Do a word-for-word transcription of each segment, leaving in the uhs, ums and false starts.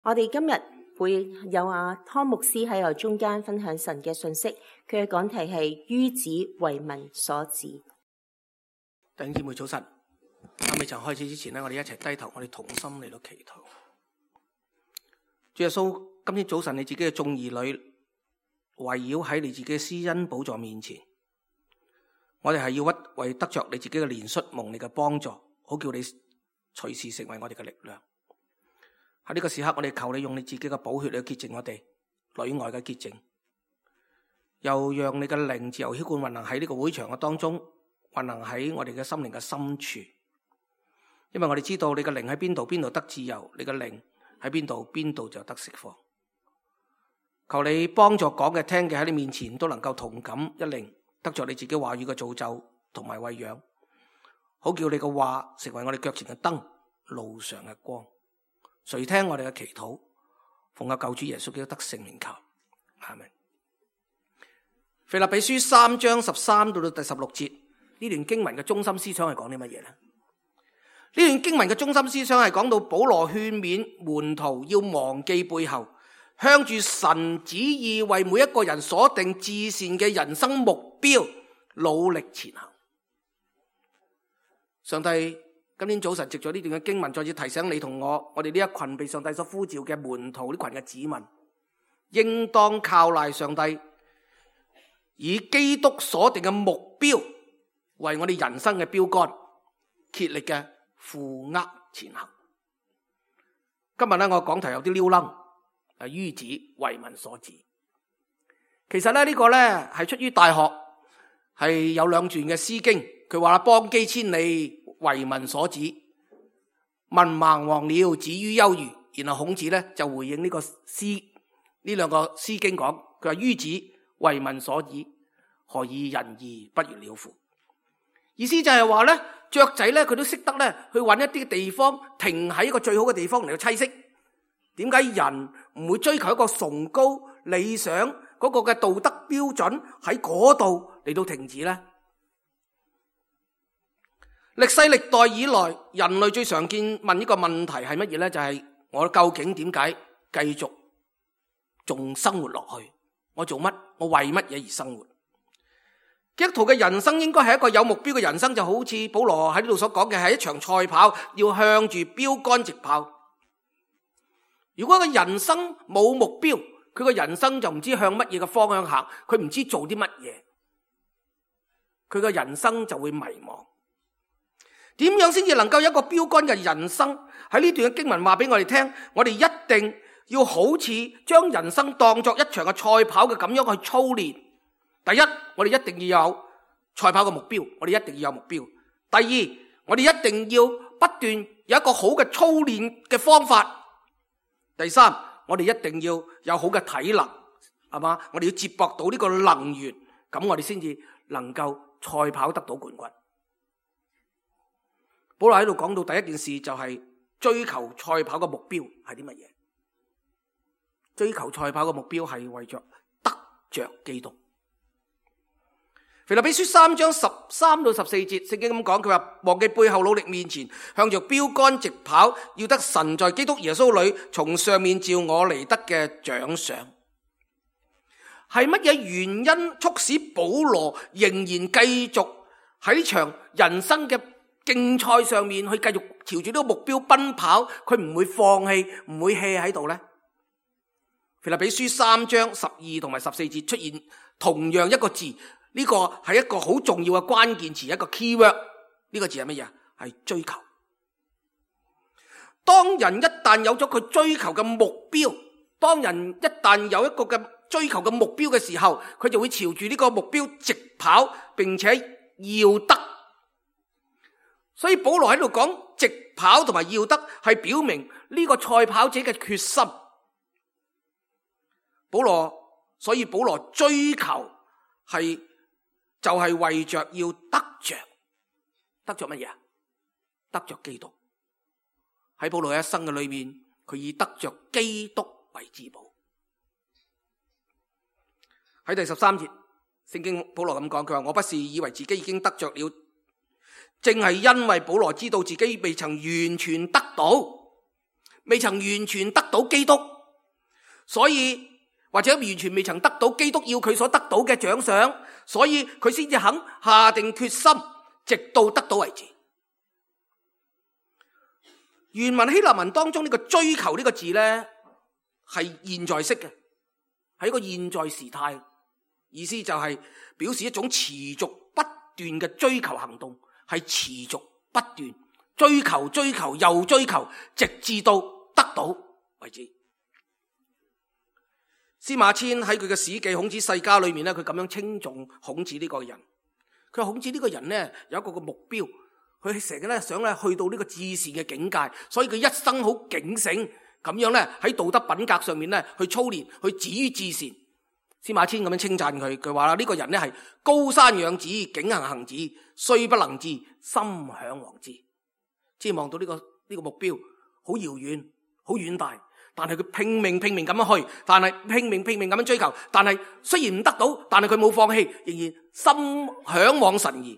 我哋今日會有阿湯牧師喺我中間分享神嘅信息，佢嘅講題係於子為民所指。弟兄姊妹早晨，喺未曾開始之前呢，我哋一齊低頭，我哋同心嚟到祈禱。主耶穌，今天早晨你自己嘅眾兒女圍繞喺你自己嘅施恩寶座面前，我哋係要屈為得着你自己嘅憐恤，蒙你嘅幫助，好叫你隨時成為我哋嘅力量。喺呢個時刻，我哋求你用你自己嘅寶血嚟潔淨我哋裏外嘅潔淨，又讓你嘅靈自由澆灌運行喺呢個會場嘅當中，運行喺我哋嘅心靈嘅深處。因為我哋知道你嘅靈喺邊度，邊度得自由；你嘅靈喺邊度，邊度就得釋放。求你幫助講嘅、聽嘅喺你面前都能夠同感一靈，得着你自己話語嘅造就同埋餵養，好叫你嘅話成為我哋腳前嘅燈，路上嘅光。垂聽我哋嘅祈禱，奉我救主耶穌基督得聖名求，阿們。腓立比書三章十三到到第十六節，呢段經文嘅中心思想係講啲乜嘢呢？呢段經文嘅中心思想係講到保羅勸勉門徒要忘記背後，向住神旨意為每一個人所定至善嘅人生目標努力前行。上帝今天早晨藉咗呢段嘅經文，再次提醒你同我，我哋呢一群被上帝所呼召嘅門徒，呢群嘅子民，應當靠賴上帝，以基督所定嘅目標為我哋人生嘅標杆，竭力嘅負軛前行。今日咧，我講題有啲溜楞，係於子為民所指。其實咧，呢個咧係出於大學，係有兩段嘅詩經，佢話啦：邦基千里，為民所指，民盲黃了，止於休矣。然後孔子咧就回應呢個詩，呢兩個詩經講，佢話於子為民所指，何以人義不如鳥乎？意思就係話咧，雀仔咧佢都識得咧去揾一啲地方停喺一個最好嘅地方嚟到棲息。點解人唔會追求一個崇高理想嗰個嘅道德標準喺嗰度嚟到停止呢？歷世歷代以來，人類最常見問一個問題係乜嘢呢？就係、是、我究竟點解繼續仲生活落去？我做乜？我為乜嘢而生活？基督徒嘅人生應該係一個有目標嘅人生，就好似保羅喺呢度所講嘅，係一場賽跑，要向住標杆直跑。如果個人生冇目標，佢個人生就唔知向乜嘢嘅方向行，佢唔知做啲乜嘢，佢個人生就會迷茫。點樣先至能夠有一個標杆嘅人生？喺呢段嘅經文話俾我哋聽，我哋一定要好似將人生當作一場嘅賽跑嘅咁樣去操練。第一，我哋一定要有賽跑嘅目標，我哋一定要有目標。第二，我哋一定要不斷有一個好嘅操練嘅方法。第三，我哋一定要有好嘅體能，係嘛？我哋要接駁到呢個能源，咁我哋先至能夠賽跑得到冠軍。保羅喺度講到第一件事就係追求賽跑嘅目標係啲乜嘢？追求賽跑嘅目標係為着得着基督。腓立比書三章十三到十四節，聖經咁講，佢話忘記背後，努力面前，向着標杆直跑，要得神在基督耶穌裏從上面召我嚟得嘅獎賞。係乜嘢原因促使保羅仍然繼續喺呢場人生嘅競賽上面去繼續朝住呢個目標奔跑？佢唔會放棄，唔會 hea 喺度呢？腓立比書三章十二同埋十四節出現同樣一個字。呢個係一個好重要嘅關鍵詞，一個 keyword。呢個字係乜嘢？係追求。當人一旦有咗佢追求嘅目標，當人一旦有一個嘅追求嘅目標嘅時候，佢就會朝住呢個目標直跑，並且要得。所以保羅喺度講直跑同埋要得，係表明呢個賽跑者嘅決心。保羅，所以保羅追求係就係、是、為着要得着，得着乜嘢？得着基督。喺保羅一生嘅裏面，佢以得着基督為至寶。喺第十三節，聖經保羅咁講，佢話：我不是以為自己已經得着了，正係因為保羅知道自己未曾完全得到，未曾完全得到基督，所以或者完全未曾得到基督要佢所得到嘅獎賞，所以佢先至肯下定決心，直到得到為止。原文希臘文當中呢個追求呢個字呢，係現在式嘅，係一個現在時態，意思就係表示一種持續不斷嘅追求行動，係持續不斷追求追求又追求，直至到得到為止。司馬遷喺佢嘅史記孔子世家裏面咧，佢咁樣稱頌孔子呢個人。佢話孔子呢個人咧有一個個目標，佢成日咧想咧去到呢個至善嘅境界，所以佢一生好警醒咁樣咧喺道德品格上面咧去操練，去止於至善。司馬遷咁樣稱讚佢，佢話啦呢個人咧係高山仰止，景行行止，雖不能至，心向往之。即係望到呢個呢個目標好遙遠，好遠大。但係佢拼命拼命咁樣去，但係拼命拼命咁樣追求，但係雖然唔得到，但係佢冇放棄，仍然心向往神義。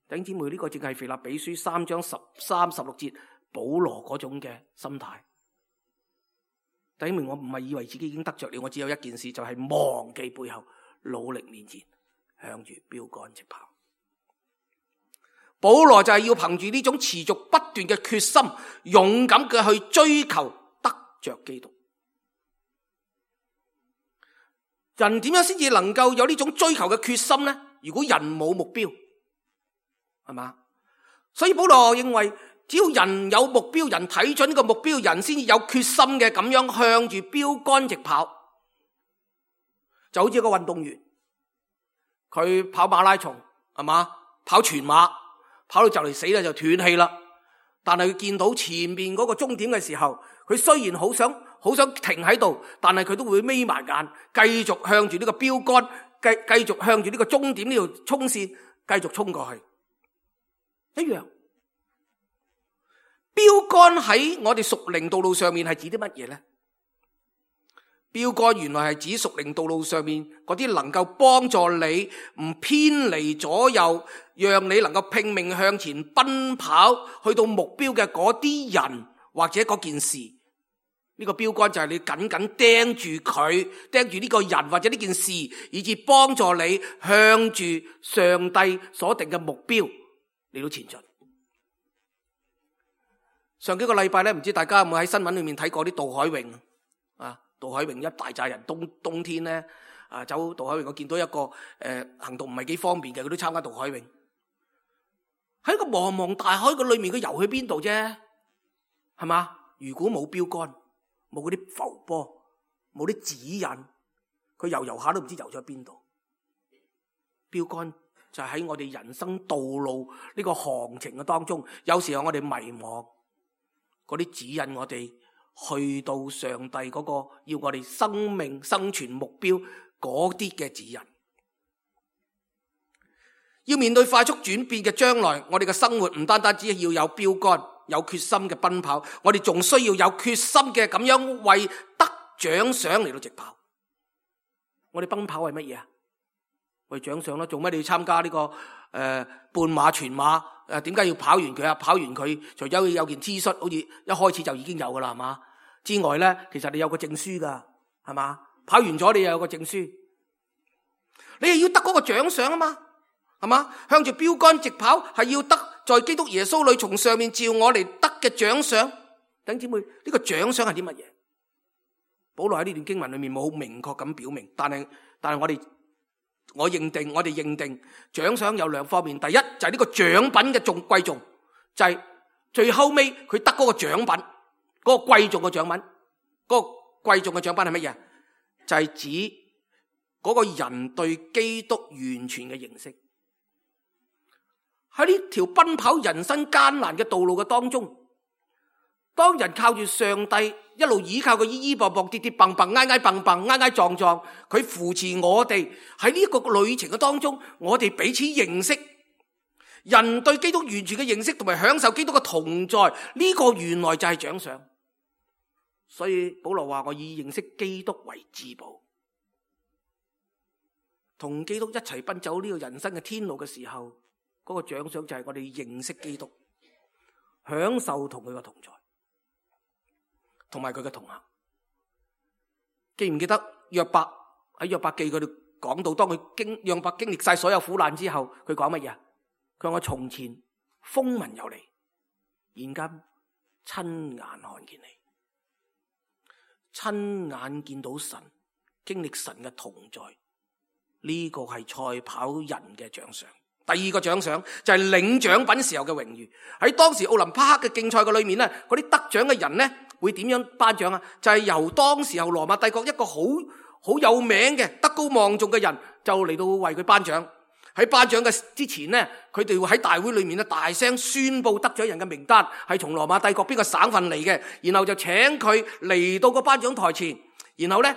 弟兄姊妹，呢個正係腓立比書三章十三十六節保羅嗰種嘅心態。弟兄們，我唔係以為自己已經得着了，我只有一件事，就係忘記背後，努力面前，向住標杆直跑。保羅就係要憑住呢種持續不斷嘅決心，勇敢嘅去追求着基督。人點樣先至能夠有呢種追求嘅決心呢？如果人冇目標，係嘛？所以保羅認為，只要人有目標，人睇準呢個目標，人先至有決心嘅咁樣向住標杆直跑。就好似一個運動員，佢跑馬拉松，係嘛？跑全馬，跑到就嚟死啦，就斷氣啦。但係佢見到前面嗰個終點嘅時候，佢雖然好想好想停喺度，但係佢都會眯埋眼，繼續向住呢個標杆，繼繼續向住呢個終點呢條衝線，繼續衝過去。一樣，標杆喺我哋屬靈道路上面係指啲乜嘢呢？標杆原來係指屬靈道路上面嗰啲能夠幫助你唔偏離左右，讓你能夠拼命向前奔跑，去到目標嘅嗰啲人或者嗰件事。呢個標杆就係你緊緊盯住佢，盯住呢個人或者呢件事，以致幫助你向住上帝所定嘅目標嚟到前進。上幾個禮拜咧，唔知大家有冇喺新聞裏面睇過啲渡海泳啊？渡海泳一大紮人，冬冬天咧啊走渡海泳，我見到一個誒、呃、行動唔係幾方便嘅，佢都參加渡海泳。喺個茫茫大海嘅裏面，佢游去邊度啫？係嘛？如果冇標杆，冇嗰啲浮波，冇啲指引，佢游游下都唔知游咗去邊度。標杆就係喺我哋人生道路呢個航程嘅當中，有時候我哋迷茫，嗰啲指引我哋去到上帝嗰個要我哋生命生存目標嗰啲嘅指引。要面對快速轉變嘅將來，我哋嘅生活唔單單只係要有標杆，有決心嘅奔跑，我哋仲需要有決心嘅咁樣為得獎賞嚟到直跑。我哋奔跑係乜嘢啊？為獎賞啦，做乜你要參加呢、這個誒、呃、半馬全馬？誒點解要跑完佢啊？跑完佢除咗有件 T 恤，好似一開始就已經有噶啦，係嘛？之外咧，其實你有個證書噶，係嘛？跑完咗你又有個證書，你又要得嗰個獎賞啊嘛，係嘛？向住標杆直跑，係要得在基督耶穌裏從上面召我嚟得嘅獎賞。弟兄姊妹，呢、這個獎賞係啲乜嘢？保羅喺呢段經文裏面冇好明確咁表明，但係但係我哋。我認定，我哋認定獎賞有兩方面。第一就係呢個獎品嘅重貴重，就係最後尾佢得嗰個獎品，嗰個貴重嘅獎品，嗰個貴重嘅獎品係乜嘢？就係指嗰個人對基督完全嘅認識。喺呢條奔跑人生艱難嘅道路嘅當中，當人靠住上帝一路依靠佢依依傍傍跌跌蹦蹦挨挨蹦蹦挨挨撞撞，佢扶持我哋喺呢個旅程嘅當中，我哋彼此認識，人對基督完全嘅認識同埋享受基督嘅同在，呢個原來就係獎賞。所以保羅話：我以認識基督為至寶，同基督一齊奔走呢個人生嘅天路嘅時候，嗰個獎賞就係我哋認識基督，享受同佢嘅同在。同埋佢嘅同行。記唔記得約伯喺約伯記佢哋講到，當佢經約伯經歷晒所有苦難之後，佢講乜嘢？佢話我從前風聞有你，現今親眼看見你，親眼見到神，經歷神嘅同在，呢、這個係賽跑人嘅獎賞。第二個獎賞就係領獎品時候嘅榮譽。喺當時奧林匹克嘅競賽嘅裏面咧，嗰啲得獎嘅人咧會點樣頒獎啊？就係由當時候羅馬帝國一個好好有名嘅德高望重嘅人就嚟到為佢頒獎。喺頒獎嘅之前咧，佢哋會喺大會裏面咧大聲宣布得獎人嘅名單係從羅馬帝國邊個省份嚟嘅，然後就請佢嚟到個頒獎台前，然後咧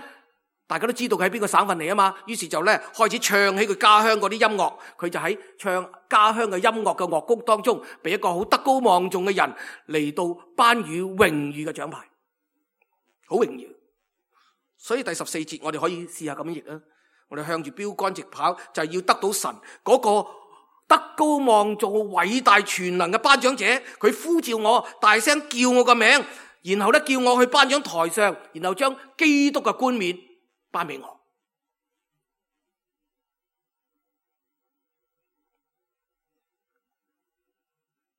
大家都知道佢喺邊個省份嚟啊嘛，於是就咧開始唱起佢家鄉嗰啲音樂，佢就喺唱家鄉嘅音樂嘅樂曲當中，俾一個好德高望重嘅人嚟到頒予榮譽嘅獎牌，好榮耀。所以第十四節我哋可以試下咁樣譯啊，我哋向住標杆直跑，就係要得到神嗰個德高望重、偉大全能嘅頒獎者，佢呼召我，大聲叫我個名，然後咧叫我去頒獎台上，然後將基督嘅冠冕頒俾我。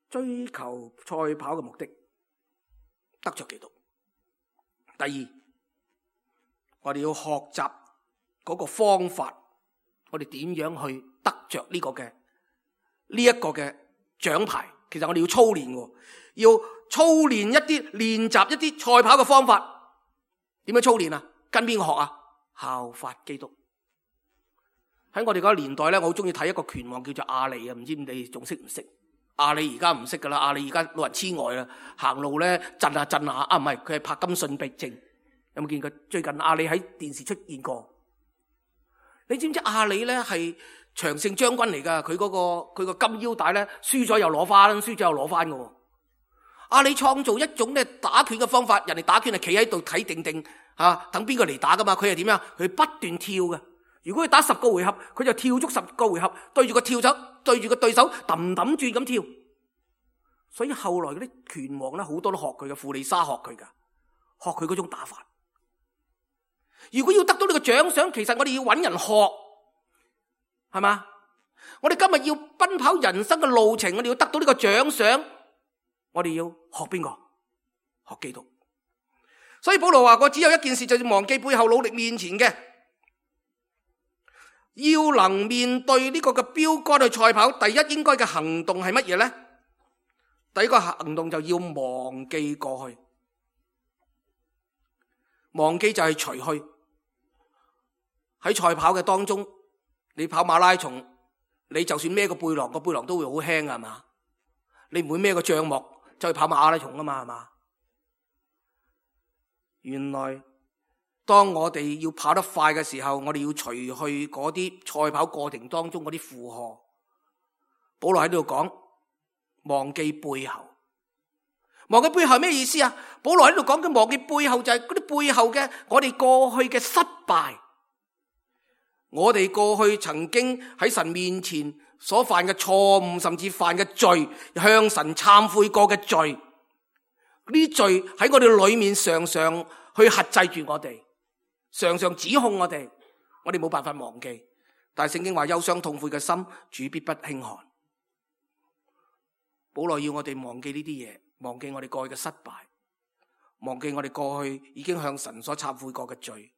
追求賽跑嘅目的，得着基督。第二，我哋要學習嗰個方法，我哋點樣去得着呢個嘅呢一個嘅獎牌？其實我哋要操練嘅，要操練一啲練習一啲賽跑嘅方法。點樣操練啊？跟邊個學啊？效法基督。喺我哋嗰個年代咧，我好中意睇一個拳王叫做阿里啊，唔知你哋仲識唔識？阿里而家唔識噶啦，阿里而家老人痴呆啦，行路咧震下震下，啊唔係，佢係柏金遜病症。有冇見過？最近阿里喺電視出現過。你知唔知阿里咧係長勝將軍嚟噶？佢嗰個佢個金腰帶咧，輸咗又攞翻，輸咗又攞翻嘅。阿里創造一種咧打拳嘅方法，人哋打拳係企喺度睇定定吓，等邊個嚟打噶嘛？佢係點樣？佢不斷跳嘅。如果佢打十個回合，佢就跳足十個回合，對住個跳手，對住個對手揼揼轉咁跳。所以後來嗰啲拳王咧，好多都學佢嘅，富利沙學佢噶，學佢嗰種打法。如果要得到呢個獎賞，其實我哋要揾人學，係嘛？我哋今日要奔跑人生嘅路程，我哋要得到呢個獎賞，我哋要學邊個？學基督。所以保羅話過，只有一件事，就是忘記背後，努力面前嘅。要能面對呢個嘅標杆去賽跑，第一應該嘅行動係乜嘢呢？第一個行動就要忘記過去，忘記就係除去。喺賽跑嘅當中，你跑馬拉松，你就算孭個背囊，個背囊都會好輕啊，係嘛？你唔會孭個帳幕就去跑馬拉松啊嘛，係嘛？原來當我哋要跑得快嘅時候，我哋要除去嗰啲賽跑過程當中嗰啲負荷。保羅喺度講，忘記背後，忘記背後係咩意思啊？保羅喺度講嘅忘記背後就係嗰啲背後嘅我哋過去嘅失敗，我哋過去曾經喺神面前所犯嘅錯誤，甚至犯嘅罪，向神懺悔過嘅罪，呢啲罪喺我哋裏面常常去轄制住我哋。常常指控我哋，我哋冇辦法忘記。但係聖經話，憂傷痛悔嘅心，主必不輕看。保羅要我哋忘記呢啲嘢，忘記我哋過去嘅失敗，忘記我哋過去已經向神所懺悔過嘅罪。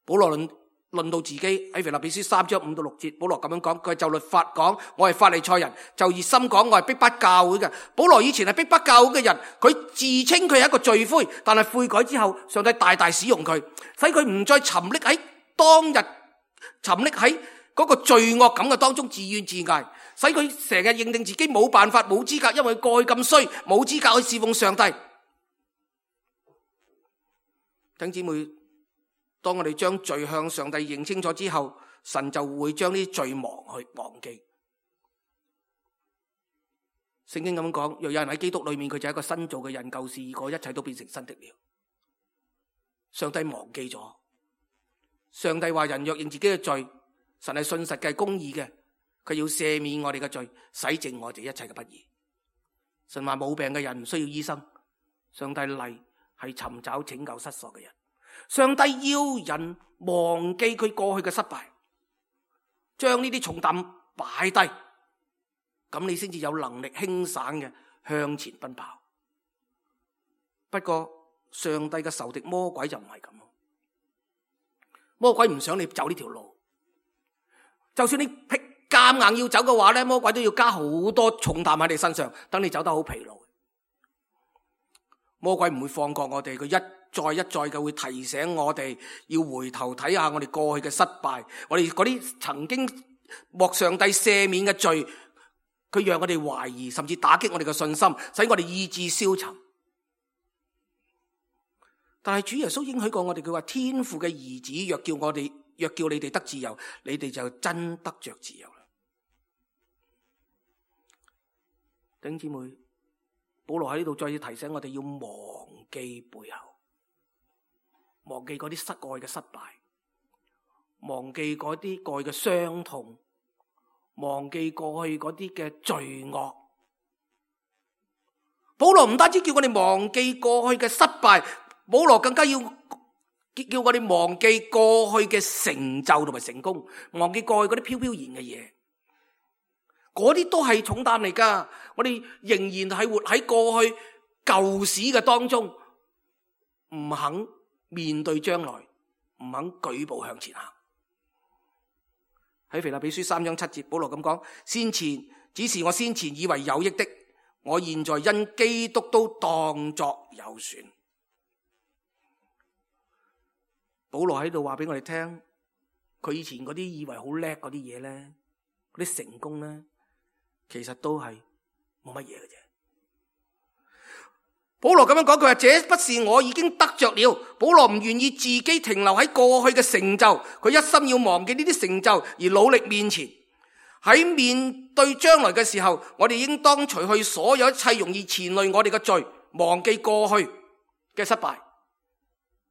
保羅論論到自己喺腓立比書三章五到六節，保羅咁樣講，佢就律法講，我係法利賽人；就熱心講，我係逼迫教會嘅。保羅以前係逼迫教會嘅人，佢自稱佢係一個罪灰，但係悔改之後，上帝大大使用佢，使佢唔再沉溺喺當日沉溺喺嗰個罪惡感嘅當中自怨自艾，使佢成日認定自己冇辦法、冇資格，因為過去咁衰，冇資格去侍奉上帝。弟兄姊妹，當我哋將罪向上帝認清楚之後，神就會將呢啲罪忘去忘記。聖經咁講，若有人喺基督裏面，佢就係一個新造嘅人，舊事已過，一切都變成新的了。上帝忘記咗，上帝話人若認自己嘅罪，神係信實嘅、公義嘅，佢要赦免我哋嘅罪，洗淨我哋一切嘅不義。神話冇病嘅人唔需要醫生，上帝嚟係尋找拯救失喪嘅人。上帝要人忘記佢過去嘅失敗，將呢啲重擔擺低，咁你先至有能力輕省嘅向前奔跑。不過上帝嘅仇敵魔鬼就唔係咁，魔鬼唔想你走呢條路，就算你夾硬要走嘅話咧，魔鬼都要加好多重擔喺你身上，等你走得好疲勞。魔鬼唔會放過我哋，佢一再一再嘅會提醒我哋要回頭睇下我哋過去嘅失敗，我哋嗰啲曾經獲上帝赦免嘅罪，佢讓我哋懷疑，甚至打擊我哋嘅信心，使我哋意志消沉。但係主耶穌應許過我哋，佢話天父嘅兒子若叫我哋，若叫你哋得自由，你哋就真得着自由啦。弟兄姊妹，保羅喺呢度再次提醒我哋要忘記背後，忘記嗰啲失愛嘅失敗，忘記嗰啲過去嘅傷痛，忘記過去嗰啲嘅罪惡。保羅唔單止叫我哋忘記過去嘅失敗，保羅更加要叫我哋忘記過去嘅成就同埋成功，忘記過去嗰啲飄飄然嘅嘢，嗰啲都係重擔嚟噶。我哋仍然係活喺過去舊史嘅當中，唔肯面對將來，唔肯舉步向前行。喺腓立比書三章七節，保羅咁講：先前只是我先前以為有益的，我現在因基督都當作有損。保羅喺度話俾我哋聽，佢以前嗰啲以為好叻嗰啲嘢咧，嗰啲成功咧，其實都係冇乜嘢嘅啫。保羅咁樣講，佢話這不是我已經得着了。保羅唔願意自己停留喺過去嘅成就，佢一心要忘記呢啲成就而努力面前。喺面對將來嘅時候，我哋應當除去所有一切容易纏累我哋嘅罪，忘記過去嘅失敗，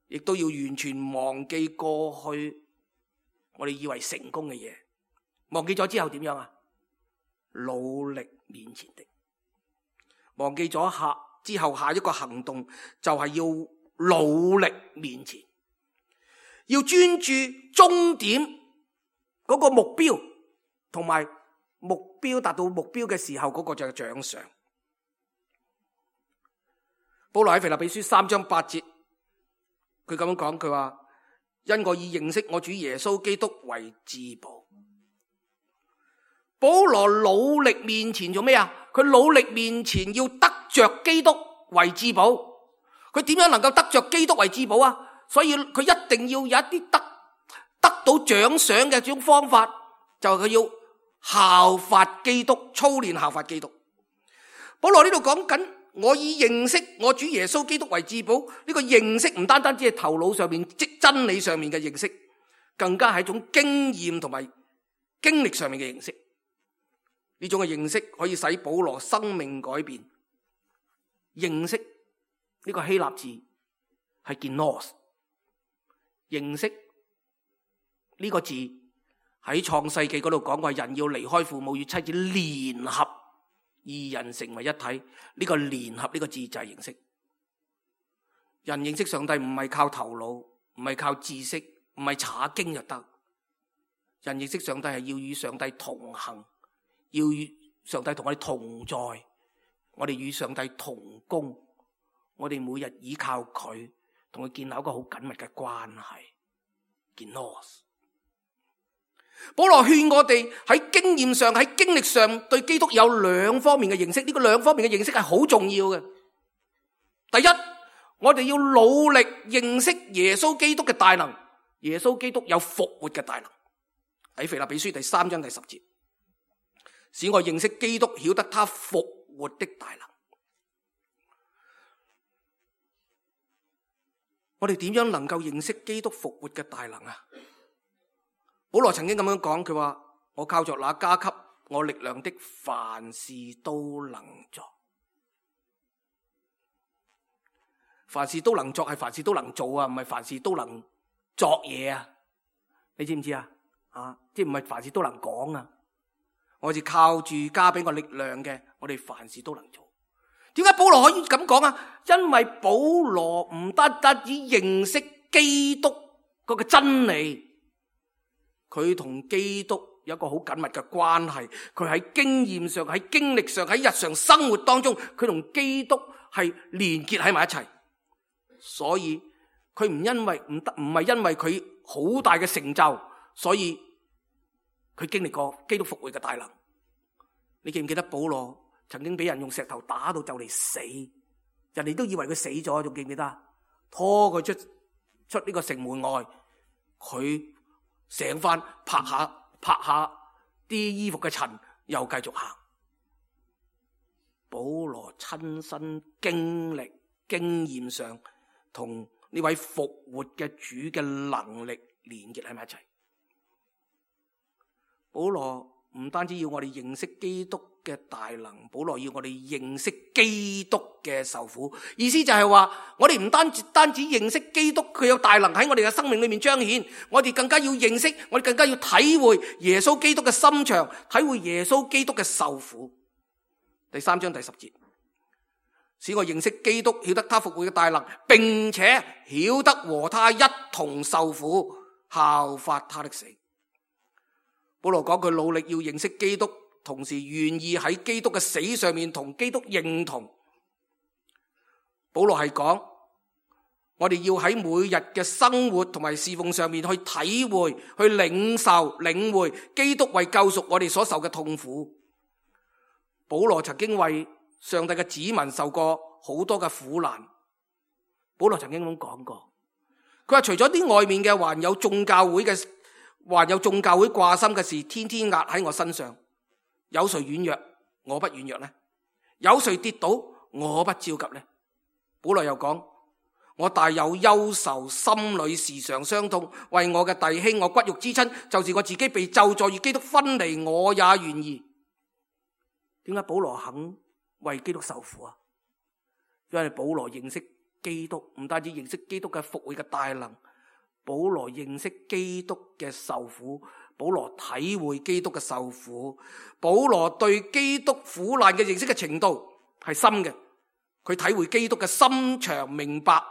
亦都要完全忘記過去我哋以為成功嘅嘢。忘記咗之後點樣啊？努力面前的。忘記咗下之後，下一個行動就係要努力面前，要專注終點嗰個目標，同埋目標達到目標嘅時候嗰個就係獎賞。保羅喺腓立比書三章八節，佢咁樣講，佢話因我以認識我主耶穌基督為至寶。保羅努力面前做咩啊？佢努力面前要得着基督為至寶。佢點樣能夠得着基督為至寶啊？所以佢一定要有一啲得得到獎賞嘅種方法，就係佢要效法基督，操練效法基督。保羅呢度講緊，我以認識我主耶穌基督為至寶。呢個認識唔單單只係頭腦上面即真理上面嘅認識，更加係一種經驗同埋經歷上面嘅認識。呢種嘅認識可以使保羅生命改變。認識呢個希臘字係 genos， 認識呢個字喺創世紀嗰度講過，人要離開父母與妻子聯合，二人成為一體。呢個聯合呢個字就係認識。人認識上帝唔係靠頭腦，唔係靠知識，唔係查經就得。人認識上帝係要與上帝同行，要與上帝同我哋同在，我哋與上帝同工，我哋每日依靠佢，同佢建立一個好緊密嘅關係。genos。保羅勸我哋喺經驗上、喺經歷上對基督有兩方面嘅認識，呢個兩方面嘅認識係好重要嘅。第一，我哋要努力認識耶穌基督嘅大能。耶穌基督有復活嘅大能，喺腓立比書第三章第十節，使我認識基督，曉得他復活的大能。我哋點樣能夠認識基督復活嘅大能啊？保羅曾經咁樣講，佢話我靠着那加給我力量的，凡事都能做。凡事都能作係凡事都能做啊，唔係凡事都能作嘢啊。你知唔知啊？啊，即係唔係凡事都能講啊？我哋靠住加俾我力量嘅，我哋凡事都能做。點解保羅可以咁講啊？因為保羅唔單單只認識基督嗰個真理，佢同基督有一個好緊密嘅關係。佢喺經驗上、喺經歷上、喺日常生活當中，佢同基督係連結喺埋一齊。所以佢唔因為唔得，唔係因為佢好大嘅成就，所以佢經歷過基督復活嘅大能。你記唔記得保羅曾經俾人用石頭打到就嚟死，人哋都以為佢死咗，仲記唔記得？拖佢出出呢個城門外，佢醒翻，拍下拍下啲衣服嘅塵，又繼續行。保羅親身經歷經驗上同呢位復活嘅主嘅能力連結喺埋一齊。保羅唔單止要我哋認識基督嘅大能，保羅要我哋認識基督嘅受苦。意思就係話，我哋唔單止單止認識基督，佢有大能喺我哋嘅生命裏面彰顯，我哋更加要認識，我哋更加要體會耶穌基督嘅心腸，體會耶穌基督嘅受苦。第三章第十節，使我認識基督，曉得他復活嘅大能，並且曉得和他一同受苦，效法他的死。保羅講佢努力要認識基督，同時願意喺基督嘅死上面同基督認同。保羅係講我哋要喺每日嘅生活同埋侍奉上面去體會、去領受、領會基督為救贖我哋所受嘅痛苦。保羅曾經為上帝嘅子民受過好多嘅苦難。保羅曾經咁講過，佢話除咗啲外面嘅，還有眾教會嘅。還有眾教會掛心嘅事，天天壓喺我身上。有誰軟弱，我不軟弱呢？有誰跌倒，我不焦急呢？保羅又講，我大有憂愁，心裏時常傷痛，為我嘅弟兄，我骨肉之親，就是我自己被咒詛與基督分離，我也願意。點解保羅肯為基督受苦啊？因為保羅認識基督，唔單止認識基督嘅復活嘅大能，保羅認識基督嘅受苦，保羅體會基督嘅受苦，保羅對基督苦難嘅認識嘅程度係深嘅，佢體會基督嘅心腸，明白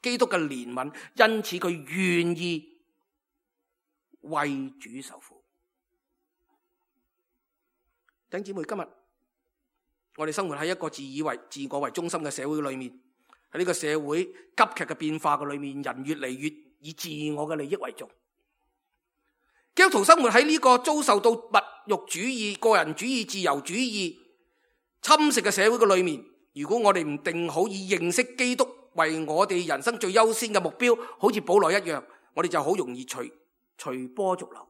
基督嘅憐憫，因此佢願意為主受苦。弟兄姊妹，今日我哋生活喺一個自以為自我為中心嘅社會裏面，喺呢個社會急劇嘅變化嘅裏面，人越嚟越以自我嘅利益為重。基督徒生活喺呢個遭受到物欲主義、個人主義、自由主義侵蝕嘅社會嘅裏面，如果我哋唔定好以認識基督為我哋人生最優先嘅目標，好似保羅一樣，我哋就好容易隨隨波逐流。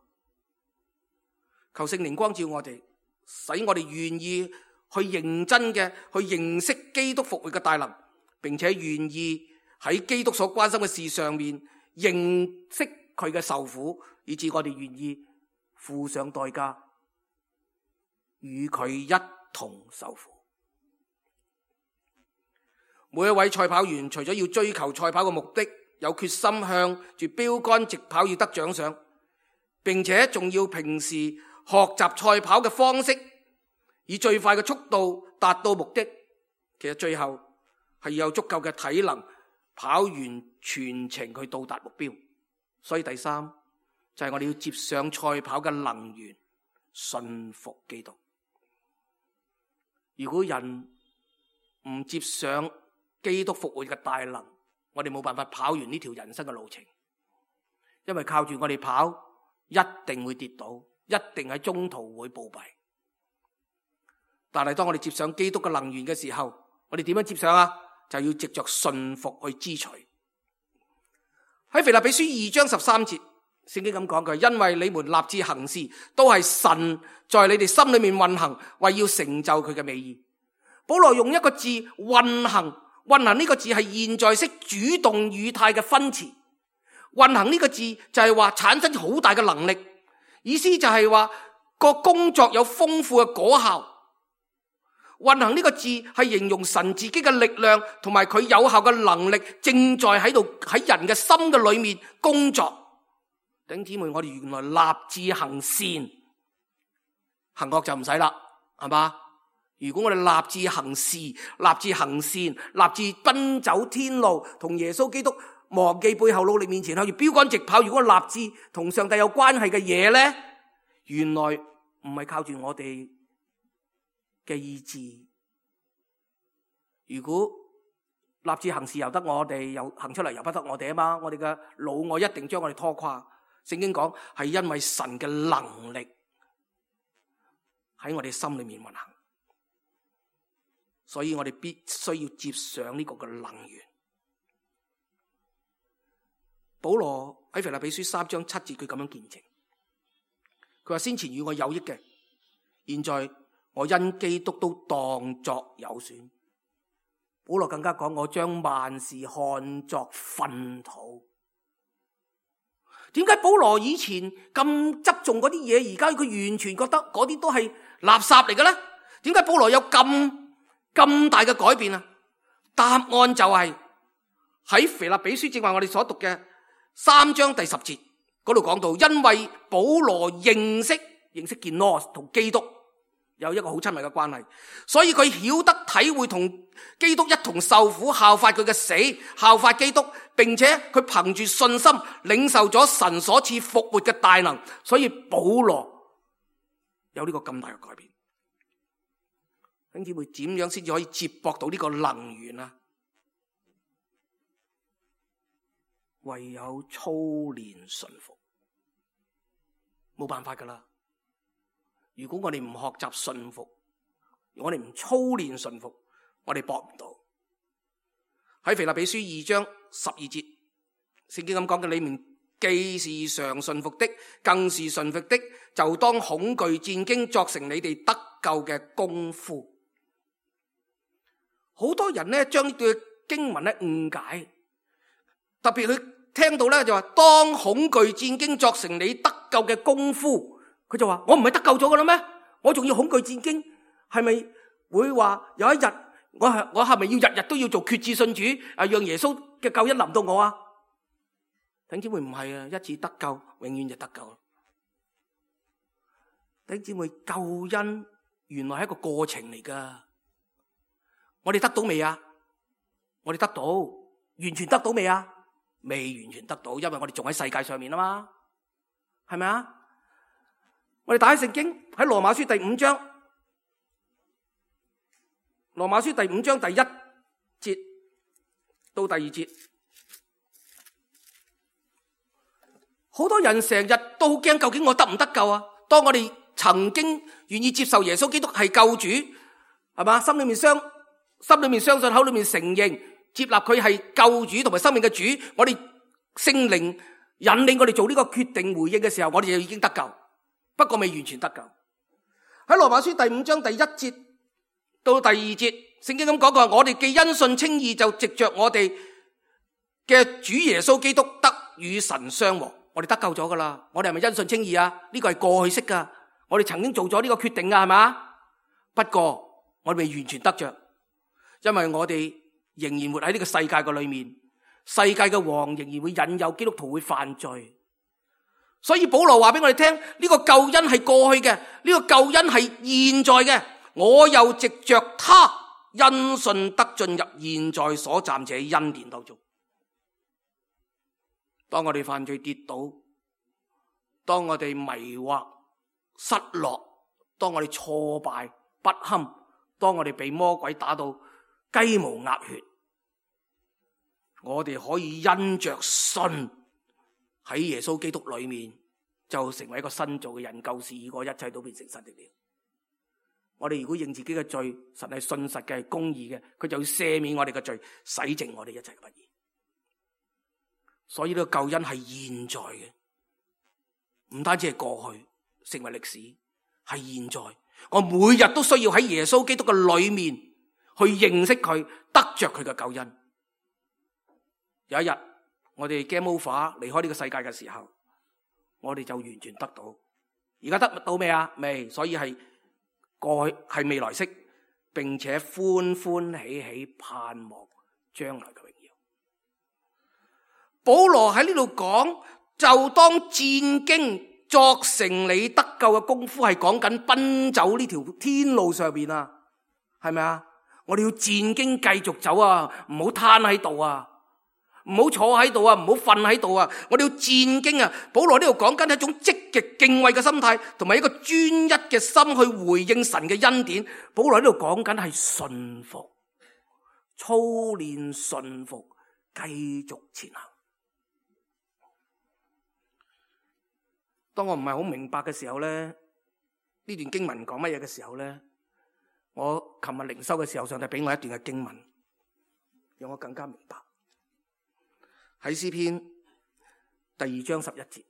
求聖靈光照我哋，使我哋願意去認真嘅去認識基督復活嘅大能，並且願意喺基督所關心嘅事上面認識佢嘅受苦，以致我哋願意付上代價，與佢一同受苦。每一位賽跑員除咗要追求賽跑嘅目的，有決心向住標杆直跑要得獎賞，並且仲要平時學習賽跑嘅方式，以最快嘅速度達到目的。其實最後係要有足夠嘅體能跑完全程去到達目標。所以第三就係我哋要接上賽跑嘅能源，信服基督。如果人唔接上基督復活嘅大能，我哋冇辦法跑完呢條人生嘅路程，因為靠住我哋跑一定會跌倒，一定喺中途會暴斃。但係當我哋接上基督嘅能源嘅時候，我哋點樣接上啊？就要藉着信服去支取。喺腓立比書二章十三節，聖經咁講佢，因為你們立志行事，都係神在你哋心裏面運行，為要成就佢嘅美意。保羅用一個字運行，運行呢個字係現在式主動語態嘅分詞。運行呢個字就係話產生好大嘅能力，意思就係話個工作有豐富嘅果效。運行呢個字係形容神自己嘅力量同埋佢有效嘅能力正在喺度喺人嘅心嘅裏面工作。弟兄姊妹，我哋原來立志行善，行惡就唔使啦，係嘛？如果我哋立志行事、立志行善、立志奔走天路，同耶穌基督忘記背後努力面前，向住標杆直跑。如果我立志同上帝有關係嘅嘢咧，原來唔係靠住我哋嘅意志。如果立志行事由得我哋，又行出嚟由不得我哋啊嘛，我哋嘅老我一定將我哋拖垮。聖經講係因為神嘅能力喺我哋心裏面運行，所以我哋必須要接上呢個嘅能源。保羅喺腓立比書三章七節，佢咁樣見證，佢話：先前與我有益嘅，現在我因基督都當作有損。保羅更加講：我將萬事看作糞土。點解保羅以前咁執重嗰啲嘢，而家佢完全覺得嗰啲都係垃圾嚟嘅咧？點解保羅有咁咁大嘅改變啊？答案就係喺腓立比書，正話我哋所讀嘅三章第十節嗰度講到，因為保羅認識認識基督同基督有一個好親密嘅關係，所以佢曉得體會同基督一同受苦，效法佢嘅死，效法基督，並且佢憑住信心領受咗神所賜復活嘅大能，所以保羅有呢個咁大嘅改變。弟兄姊妹，點樣先至可以接駁到呢個能源啊？唯有操練順服，冇辦法噶啦。如果我哋唔學習順服，我哋唔操練順服，我哋搏唔到。喺腓立比書二章十二節，聖經咁講嘅：你們既是常順服的，更是順服的，就當恐懼戰驚，作成你哋得救嘅功夫。好多人呢將呢段經文咧誤解，特別佢聽到咧就話當恐懼戰驚，作成你得救嘅功夫。佢就話：我唔係得救咗噶啦咩？我仲要恐懼戰驚？係咪會話有一日我係我係咪要日日都要做決志信主啊？讓耶穌嘅救恩臨到我啊？弟兄姊妹，唔係啊，一次得救，永遠就得救。弟兄姊妹，救恩原來係一個過程嚟噶。我哋得到未啊？我哋得到，完全得到未啊？未完全得到，因為我哋仲喺世界上面啊嘛，係咪啊？我哋打開聖經喺羅馬書第五章，羅馬書第五章第一節到第二節，好多人成日都好驚，究竟我得唔得救啊？當我哋曾經願意接受耶穌基督係救主，係嘛？心裏面相心裏面相信，口裏面承認接納佢係救主同埋生命嘅主，我哋聖靈引領我哋做呢個決定回應嘅時候，我哋就已經得救。不過未完全得救。喺羅馬書第五章第一節到第二節，聖經咁講過：我哋既因信稱義，就藉着我哋嘅主耶穌基督得與神相和。我哋得救咗噶啦，我哋係咪因信稱義啊？呢個係過去式噶，我哋曾經做咗呢個決定噶，係嘛？不過我哋未完全得着，因為我哋仍然活喺呢個世界嘅裏面，世界嘅王仍然會引誘基督徒會犯罪。所以保羅話俾我哋聽，呢個救恩係過去嘅，呢個救恩係現在嘅。我又藉着他因信得進入現在所暫且恩典當中。當我哋犯罪跌倒，當我哋迷惑失落，當我哋挫敗不堪，當我哋被魔鬼打到雞毛鴨血，我哋可以因着信喺耶穌基督裏面就成為一個新造嘅人，舊事已過，一切都變成新的了。我哋如果認自己嘅罪，神係信實嘅，係公義嘅，佢就要赦免我哋嘅罪，洗淨我哋一切嘅不義。所以呢個救恩係現在嘅，唔單止係過去成為歷史，係現在。我每日都需要喺耶穌基督嘅裏面去認識佢，得着佢嘅救恩。有一日我哋 game over 離開呢個世界嘅時候，我哋就完全得到。而家得到未啊？未，所以係過去係未來式，並且歡歡喜喜盼望將來嘅榮耀。保羅喺呢度講，就當戰兢作成你得救嘅功夫，係講緊奔走呢條天路上邊啊，係咪啊？我哋要戰兢繼續走啊，唔好攤喺度啊，唔好坐喺度啊，唔好瞓喺度啊，我哋要戰兢啊！保羅呢度講緊係一種積極敬畏嘅心態，同埋一個專一嘅心去回應神嘅恩典。保羅呢度講緊係順服，操練順服，繼續前行。當我唔係好明白嘅時候咧，呢段經文講乜嘢嘅時候咧，我琴日靈修嘅時候，上帝俾我一段嘅經文，讓我更加明白。喺詩篇第二章十一節，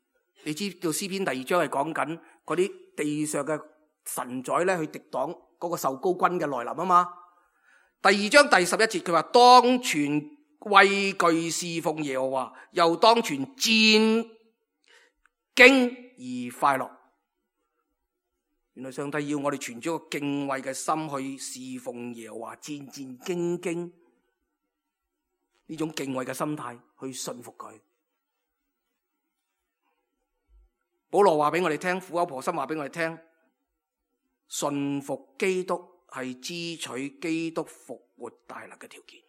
你知道詩篇第二章係講緊嗰啲地上嘅神宰咧，去敵擋嗰個受膏君嘅來臨啊嘛。第二章第十一節佢話，當存畏懼侍奉耶和華，又當存戰兢而快樂。原來上帝要我哋存咗個敬畏嘅心去侍奉耶和華，戰戰兢兢，呢種敬畏嘅心態去信服佢。保羅話俾我哋聽，苦口婆心話俾我哋聽，信服基督係支取基督復活大能嘅條件。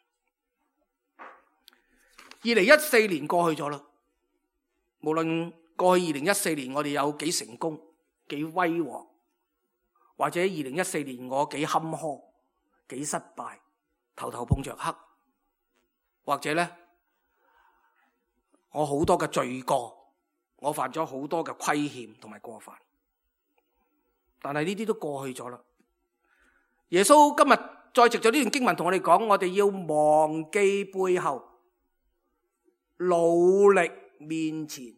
二零一四年過去咗啦，無論過去二零一四年我哋有幾成功、幾威煌，或者二零一四年我幾坎坷、幾失敗，頭頭碰着黑，或者咧我好多嘅罪過，我犯咗好多嘅虧欠同埋過犯，但係呢啲都過去咗啦。耶穌今日再藉咗呢段經文同我哋講，我哋要忘記背後，努力面前，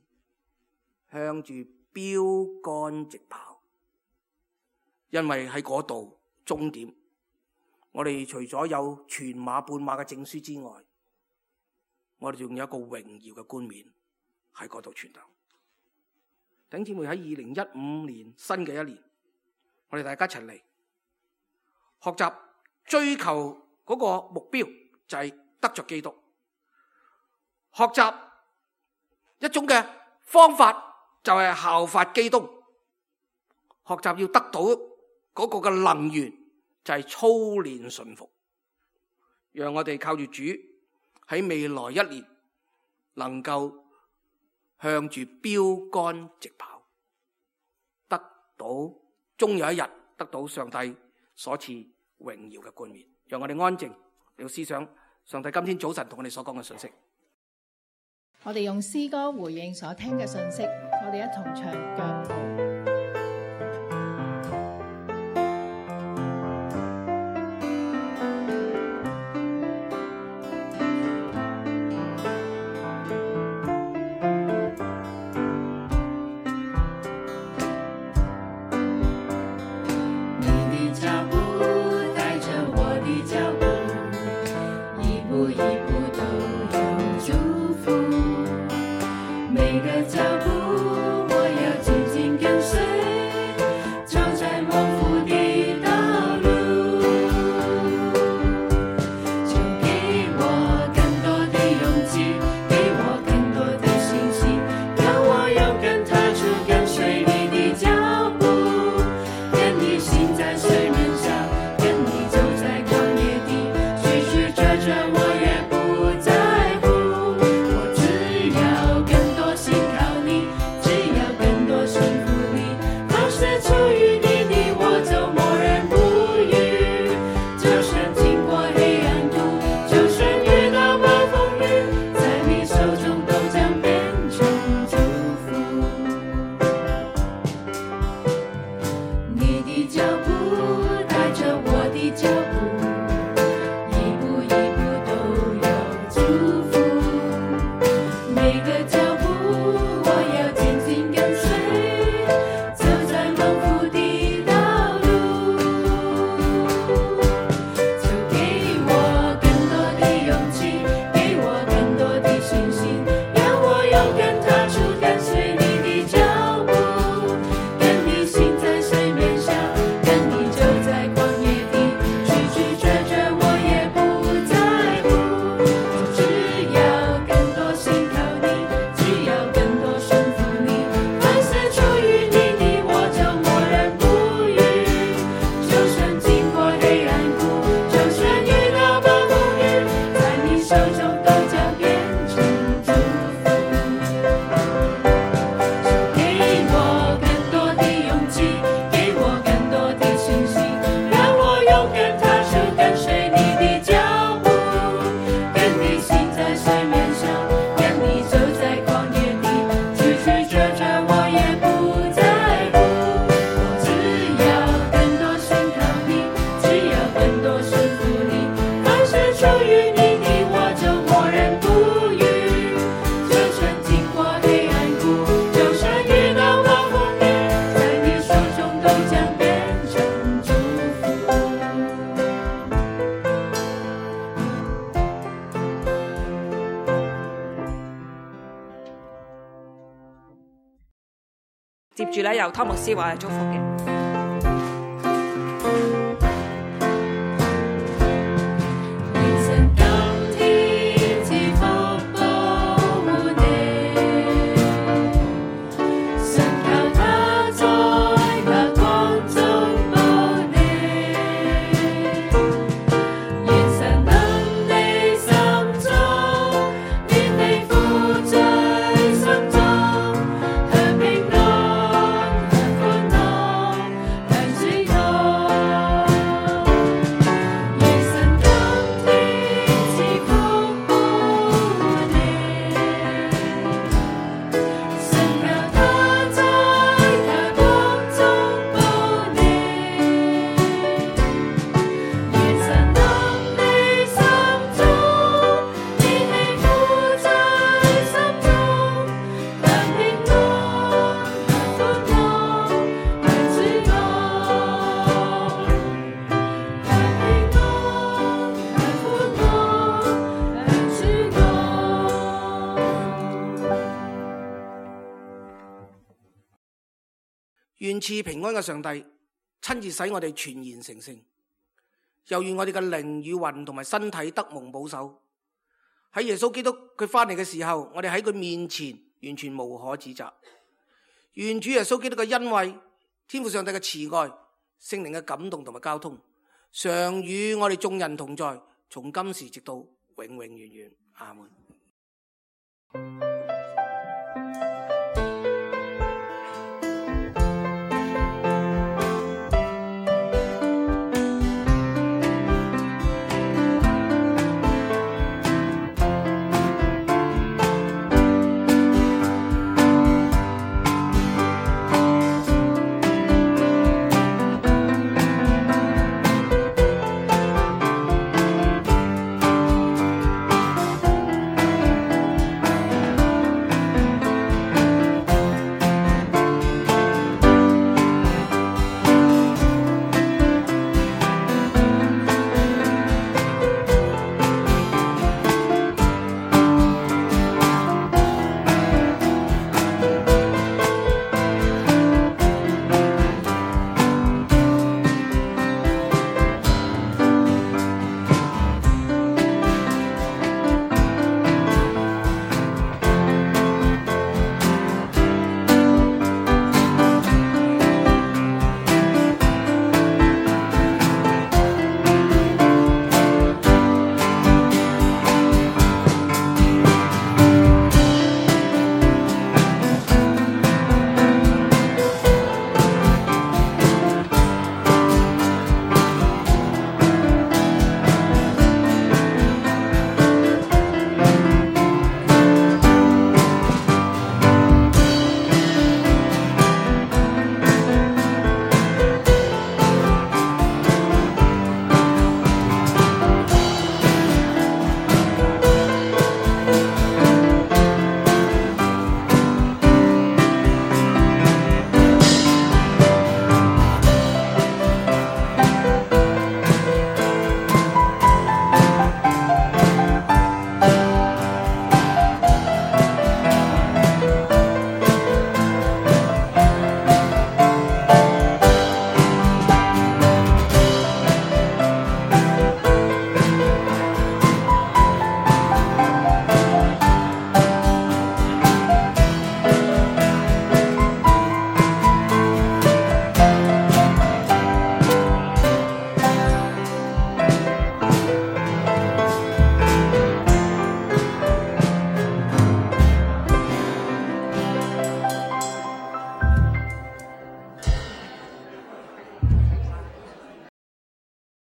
向住標竿直跑。因為喺嗰度終點，我哋除咗有全馬半馬嘅證書之外，我哋仲有一個榮耀嘅冠冕喺嗰度存留。弟兄姊妹，喺二零一五年新嘅一年，我哋大家一齊嚟學習追求嗰個目標，就係得着基督。學習一種嘅方法，就係效法基督。學習要得到嗰個嘅能源，就係操練順服，讓我哋靠住主喺未來一年能夠向住標竿直跑，得到終有一日得到上帝所賜榮耀嘅冠冕。讓我哋安靜嚟到思想上帝今天早晨同我哋所講嘅信息。我哋用詩歌回應所聽嘅信息，我哋一同唱腳步。我知接住咧，由湯牧師話嚟祝福嘅。願賜平安嘅上帝親自使我哋全然成聖，又願我哋嘅靈與魂同埋身體得蒙保守。喺耶穌基督佢翻嚟嘅時候，我哋喺佢面前完全無可指責。願主耶穌基督嘅恩惠、天父上帝嘅慈愛、聖靈嘅感動同埋交通，常與我哋眾人同在，從今時直到永永遠遠。阿門。